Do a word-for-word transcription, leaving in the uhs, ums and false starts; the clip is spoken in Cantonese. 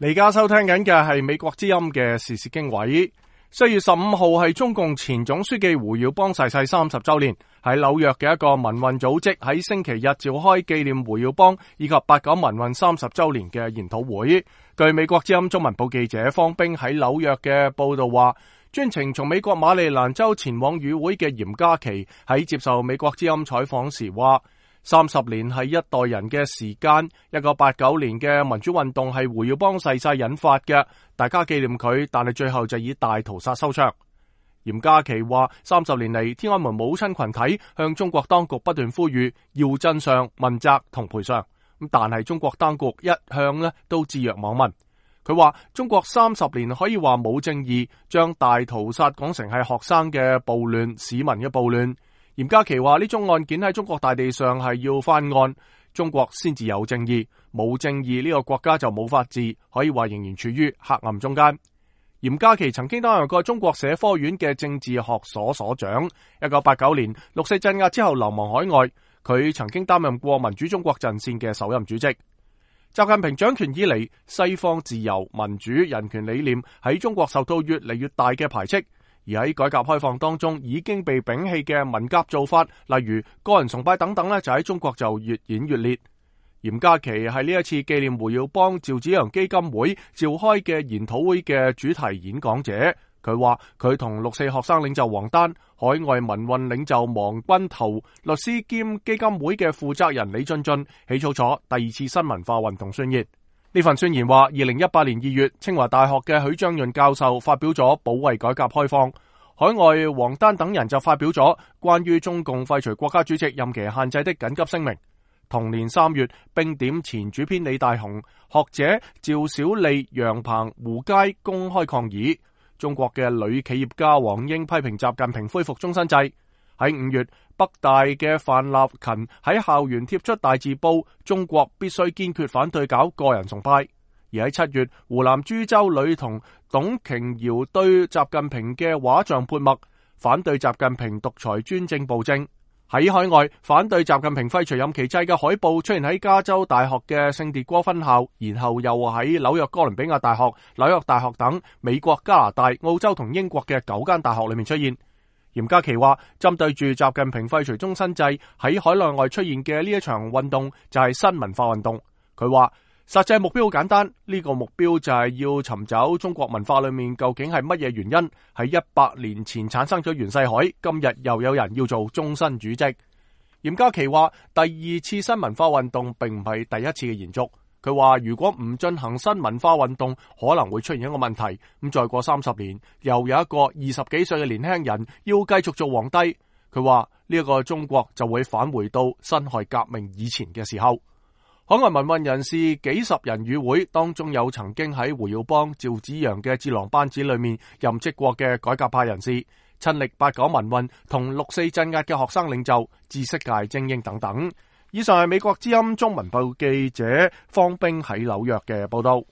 而家收聽緊嘅係美國之音嘅時事經緯。四月十五號係中共前總書記胡耀邦逝世三十周年，喺紐約嘅一個民運組織喺星期日召開紀念胡耀邦以及八九民運三十周年嘅研討會。據美國之音中文部記者方冰喺紐約嘅報道話，專程從美國馬里蘭州前往與會嘅嚴家琪喺接受美國之音採訪時話，三十年係一代人嘅時間，一九八九年嘅民主運動係胡耀邦逝世引發嘅，大家紀念佢，但係最後就以大屠殺收場。嚴家琪話，三十年嚟，天安門母親群體向中國當局不斷呼籲要真相、問責同賠償，咁但係中國當局一向呢都置若罔聞。佢話中國三十年可以話冇正義，將大屠殺講成係學生嘅暴亂、市民嘅暴亂。嚴家琪話呢宗案件喺中國大地上係要翻案，中國先至有正義，冇正義呢個國家就冇法治，可以話仍然處於黑暗中間。嚴家琪曾經擔任過中國社科院嘅政治學所所長，一九八九年六四鎮壓之後流亡海外，佢曾經擔任過民主中國陣線嘅首任主席。習近平掌權以嚟，西方自由、民主、人權理念喺中國受到越嚟越大嘅排斥。而喺改革開放當中已經被摒棄嘅文革做法，例如個人崇拜等等咧，就喺中國就越演越烈。嚴家琪係呢一次紀念胡耀邦趙紫陽基金會召開嘅研討會嘅主題演講者。佢話佢同六四學生領袖王丹、海外民運領袖王軍濤、律師兼基金會嘅負責人李進進起草咗第二次新文化運動宣言。呢份宣言話，二零一八年二月，清華大學嘅許章潤教授發表咗保衛改革開放，海外王丹等人就發表咗關於中共廢除國家主席任期限制的緊急聲明。同年三月，冰點前主編李大雄、學者趙小利、楊鵬、胡佳公開抗議。中國嘅女企業家王英批評習近平恢復終身制。喺五月，北大嘅范立勤喺校園貼出大字報，中國必須堅決反對搞個人崇拜。而喺七月，湖南株洲女童董瓊瑤對習近平嘅畫像潑墨，反對習近平獨裁專政暴政。喺海外，反對習近平廢除任期制嘅海報出現喺加州大學嘅聖迭戈分校，然後又喺紐約哥倫比亞大學、紐約大學等美國、加拿大、澳洲同英國嘅九間大學裏面出現。嚴家琪話，針對住習近平廢除終身制喺海內外出現嘅呢一場運動就係新文化運動。佢話實際目標好簡單，呢個目標就係要尋找中國文化裏面究竟係乜嘢原因喺一百年前產生咗袁世凱，今日又有人要做終身主席。嚴家琪話，第二次新文化運動並唔係第一次嘅延續。佢話如果唔進行新文化運動，可能會出現一個問題，咁再過三十年，又有一個二十幾歲嘅年輕人要繼續做皇帝。佢話呢一個中國就會返回到辛亥革命以前嘅時候。海外民運人士幾十人與會，當中有曾經喺胡耀邦、趙紫陽嘅智囊班子裏面任職過嘅改革派人士，親歷八九民運同六四鎮壓嘅學生領袖、知識界精英等等。以上係美國之音中文部記者方冰喺紐約嘅報道。